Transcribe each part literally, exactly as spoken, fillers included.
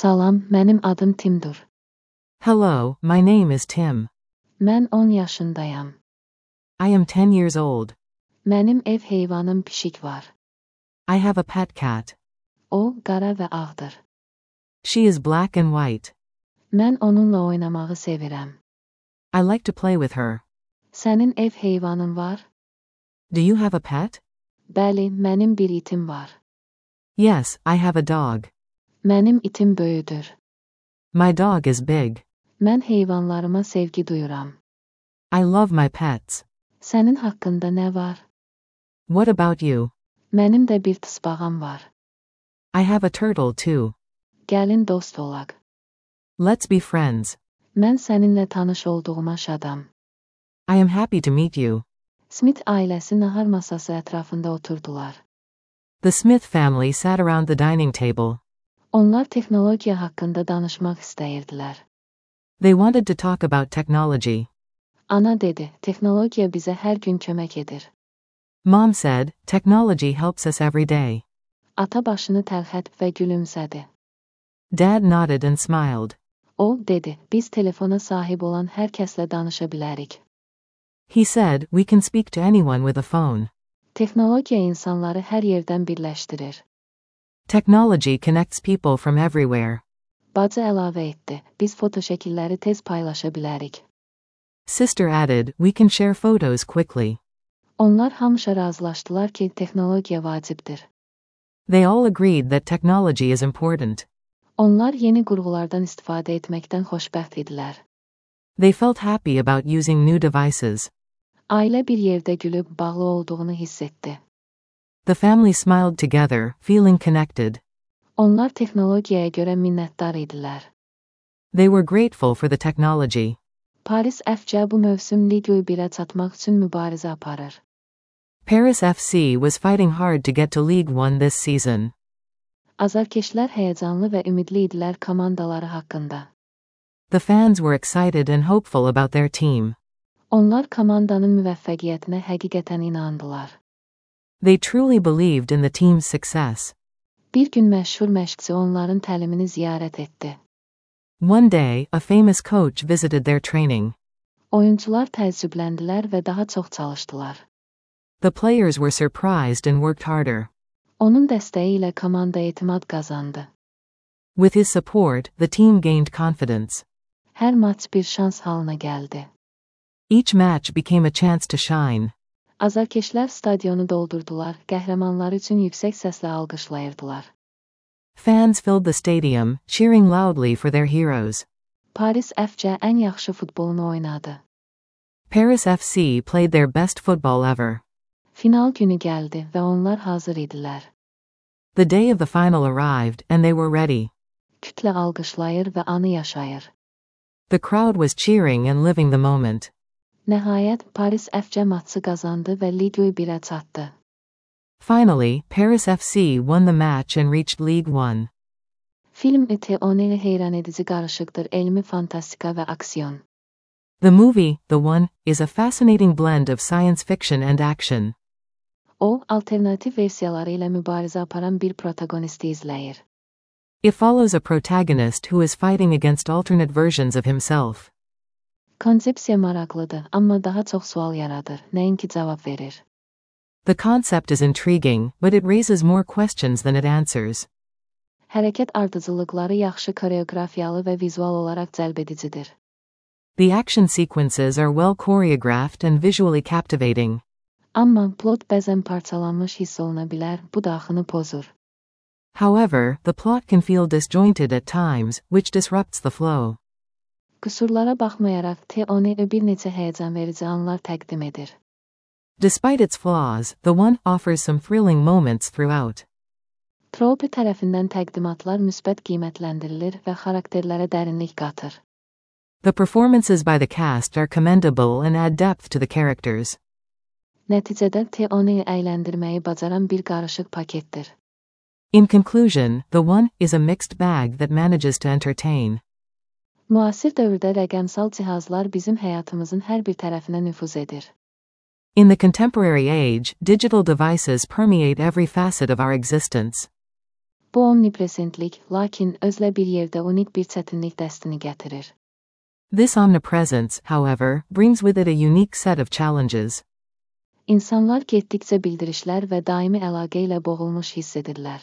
Salam, mənim adım Timdur. Hello, my name is Tim. Mən on yaşındayam. I am ten years old. Mənim ev heyvanım pişik var. I have a pet cat. O, qara və ağdır. She is black and white. Mən onunla oynamağı sevirəm. I like to play with her. Sənin ev heyvanın var? Do you have a pet? Bəli, mənim bir itim var. Yes, I have a dog. Mənim itim böyüdür. My dog is big. Mən heyvanlarıma sevgi duyuram. I love my pets. Sənin haqqında nə var? What about you? Mənim də bir tısbağam var. I have a turtle too. Gəlin dost olaq. Let's be friends. Mən səninlə tanış olduğuma şadam. I am happy to meet you. Smith ailəsi nahar masası ətrafında oturdular. The Smith family sat around the dining table. Onlar texnologiya haqqında danışmaq istəyirdilər. They wanted to talk about technology. Ana dedi, texnologiya bizə hər gün kömək edir. Mom said, technology helps us every day. Ata başını tərxət və gülümsədi. Dad nodded and smiled. O, dedi, biz telefona sahib olan hər kəslə danışa bilərik. He said, we can speak to anyone with a phone. Texnologiya insanları hər yerdən birləşdirir. Technology connects people from everywhere. Bacı əlavə etdi, biz foto şəkilləri tez paylaşa bilərik. Sister added, we can share photos quickly. Onlar hamıca razılaşdılar ki, texnologiya vacibdir. They all agreed that technology is important. Onlar yeni qurğulardan istifadə etməkdən xoşbəxt idilər. They felt happy about using new devices. Ailə bir yerdə gülüb bağlı olduğunu hiss etdi. The family smiled together, feeling connected. Onlar texnologiyaya görə minnətdar idilər. They were grateful for the technology. Paris F C bu mövsüm Ligue birə çatmaq üçün mübarizə aparır. Paris F C was fighting hard to get to League One this season. Azarkeşlər həyəcanlı və ümidli idilər komandaları haqqında. The fans were excited and hopeful about their team. Onlar komandanın müvəffəqiyyətinə həqiqətən inandılar. They truly believed in the team's success. Bir gün məşhur məşqçi onların təlimini ziyarət etdi. One day, a famous coach visited their training. Oyuncular təəccübləndilər və daha çox çalışdılar. The players were surprised and worked harder. Onun dəstəyi ilə komanda etimad qazandı. With his support, the team gained confidence. Hər maç bir şans halına gəldi. Each match became a chance to shine. Azarkeşlər stadionu doldurdular, qəhrəmanları üçün yüksək səslə alqışlayırdılar. Fans filled the stadium, cheering loudly for their heroes. Paris F C ən yaxşı futbolunu oynadı. Paris F C played their best football ever. Final günü gəldi və onlar hazır idilər. The day of the final arrived, and they were ready. Kütlə alqışlayır və anı yaşayır. The crowd was cheering and living the moment. Nəhayət, Paris F C maçı qazandı və Ligue birə çatdı. Finally, Paris F C won the match and reached League One. Film Teone heyranedici qarışıqdır, elmi fantastika və aksiyon. The movie, The One, is a fascinating blend of science fiction and action. O, alternativ versiyaları ilə mübarizə aparan bir protagonisti izləyir. It follows a protagonist who is fighting against alternate versions of himself. Konsepsiya maraqlıdır, amma daha çox sual yaradır, nəinki cavab verir. The concept is intriguing, but it raises more questions than it answers. Hərəkət ardıcıllıqları yaxşı koreografiyalı və vizual olaraq cəlbedicidir. The action sequences are well choreographed and visually captivating. Amma plot bəzən parçalanmış hiss oluna bilər, bu da axını pozur. However, the plot can feel disjointed at times, which disrupts the flow. Qüsurlara baxmayaraq, Teone bir neçə həyəcan verici anlar təqdim edir. Despite its flaws, The One offers some thrilling moments throughout. Trope tərəfindən təqdimatlar müsbət qiymətləndirilir və xarakterlərə dərinlik qatır. The performances by the cast are commendable and add depth to the characters. Nəticədə Teone əyləndirməyi bacaran bir qarışıq paketdir. In conclusion, The One is a mixed bag that manages to entertain. Müasir dövrdə rəqəmsal cihazlar bizim həyatımızın hər bir tərəfinə nüfuz edir. In the contemporary age, digital devices permeate every facet of our existence. Bu omnipresentlik, lakin özlə bir yerdə unik bir çətinlik dəstini gətirir. This omnipresence, however, brings with it a unique set of challenges. İnsanlar getdikcə bildirişlər və daimi əlaqə ilə boğulmuş hiss edirlər.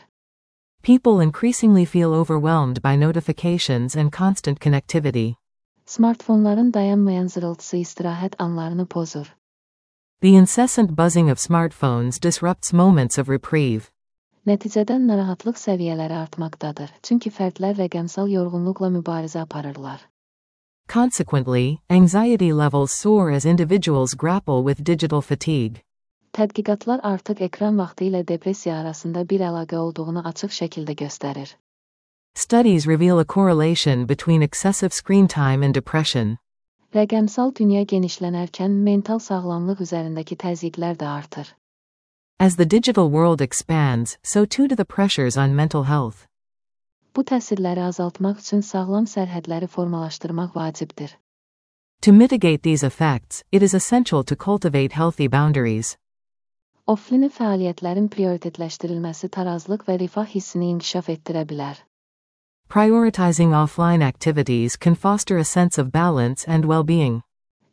People increasingly feel overwhelmed by notifications and constant connectivity. Smartfonların dayanmayan zırıltısı istirahət anlarını pozur. The incessant buzzing of smartphones disrupts moments of reprieve. Nəticədə narahatlıq səviyyələri artmaqdadır, çünki fərdlər rəqəmsal yorğunluqla mübarizə aparırlar. Consequently, anxiety levels soar as individuals grapple with digital fatigue. Tədqiqatlar artıq ekran vaxtı ilə depressiya arasında bir əlaqə olduğunu açıq şəkildə göstərir. Studies reveal a correlation between excessive screen time and depression. Rəqəmsal dünya genişlənərkən mental sağlamlıq üzərindəki təzyiqlər də artır. As the digital world expands, so too do the pressures on mental health. Bu təsirləri azaltmaq üçün sağlam sərhədləri formalaşdırmaq vacibdir. To mitigate these effects, it is essential to cultivate healthy boundaries. Offline fəaliyyətlərin prioritetləşdirilməsi tarazlıq və rifah hissini inkişaf etdirə bilər. Prioritizing offline activities can foster a sense of balance and well-being.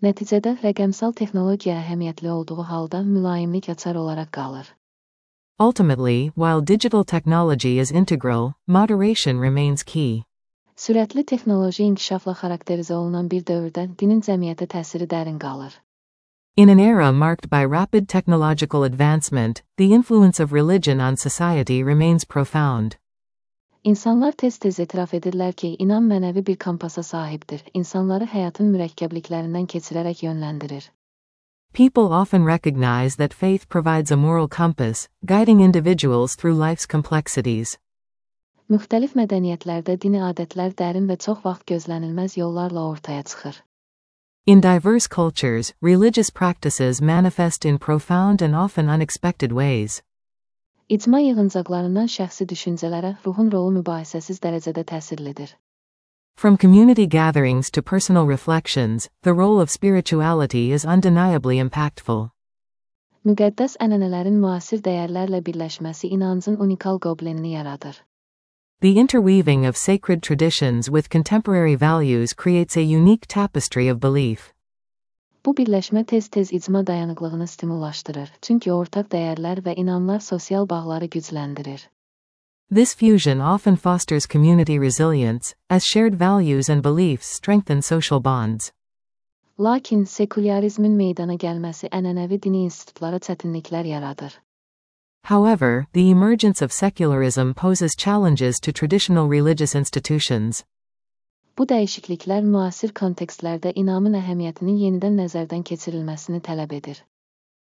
Nəticədə rəqəmsal texnologiya əhəmiyyətli olduğu halda mülayimlik açar olaraq qalır. Ultimately, while digital technology is integral, moderation remains key. Sürətli texnoloji inkişafla xarakterizə olunan bir dövrdə dinin cəmiyyətə təsiri dərin qalır. In an era marked by rapid technological advancement, the influence of religion on society remains profound. İnsanlar tez-tez etiraf edirlər ki, inan mənəvi bir kompasa sahibdir, insanları həyatın mürəkkəbliklərindən keçirərək yönləndirir. People often recognize that faith provides a moral compass, guiding individuals through life's complexities. Müxtəlif mədəniyyətlərdə dini adətlər dərin və çox vaxt gözlənilməz yollarla ortaya çıxır. In diverse cultures, religious practices manifest in profound and often unexpected ways. İcma yığıncaqlarından şəxsi düşüncələrə ruhun rolu mübahisəsiz dərəcədə təsirlidir. From community gatherings to personal reflections, the role of spirituality is undeniably impactful. Müqəddəs ənənələrin müasir dəyərlərlə birləşməsi inancın unikal qoblenini yaradır. The interweaving of sacred traditions with contemporary values creates a unique tapestry of belief. Bu birləşmə tez-tez icma dayanıqlığını stimullaşdırır, çünki ortaq dəyərlər və inanlar sosial bağları gücləndirir. This fusion often fosters community resilience, as shared values and beliefs strengthen social bonds. Lakin sekularizmin meydana gəlməsi ənənəvi dini institutlara çətinliklər yaradır. However, the emergence of secularism poses challenges to traditional religious institutions. Bu dəyişikliklər müasir kontekstlərdə inamın əhəmiyyətinin yenidən nəzərdən keçirilməsini tələb edir.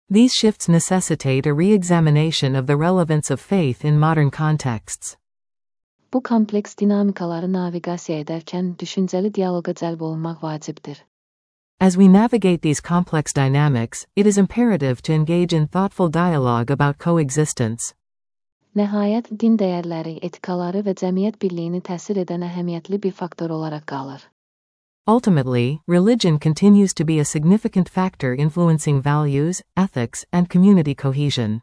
These shifts necessitate a re-examination of the relevance of faith in modern contexts. Bu kompleks dinamikaları naviqasiya edərkən düşüncəli dialoqa cəlb olunmaq vacibdir. As we navigate these complex dynamics, it is imperative to engage in thoughtful dialogue about coexistence. Nəhayət, din dəyərləri, etikaları və cəmiyyət birliyini təsir edən əhəmiyyətli bir faktor olaraq qalır. Ultimately, religion continues to be a significant factor influencing values, ethics, and community cohesion.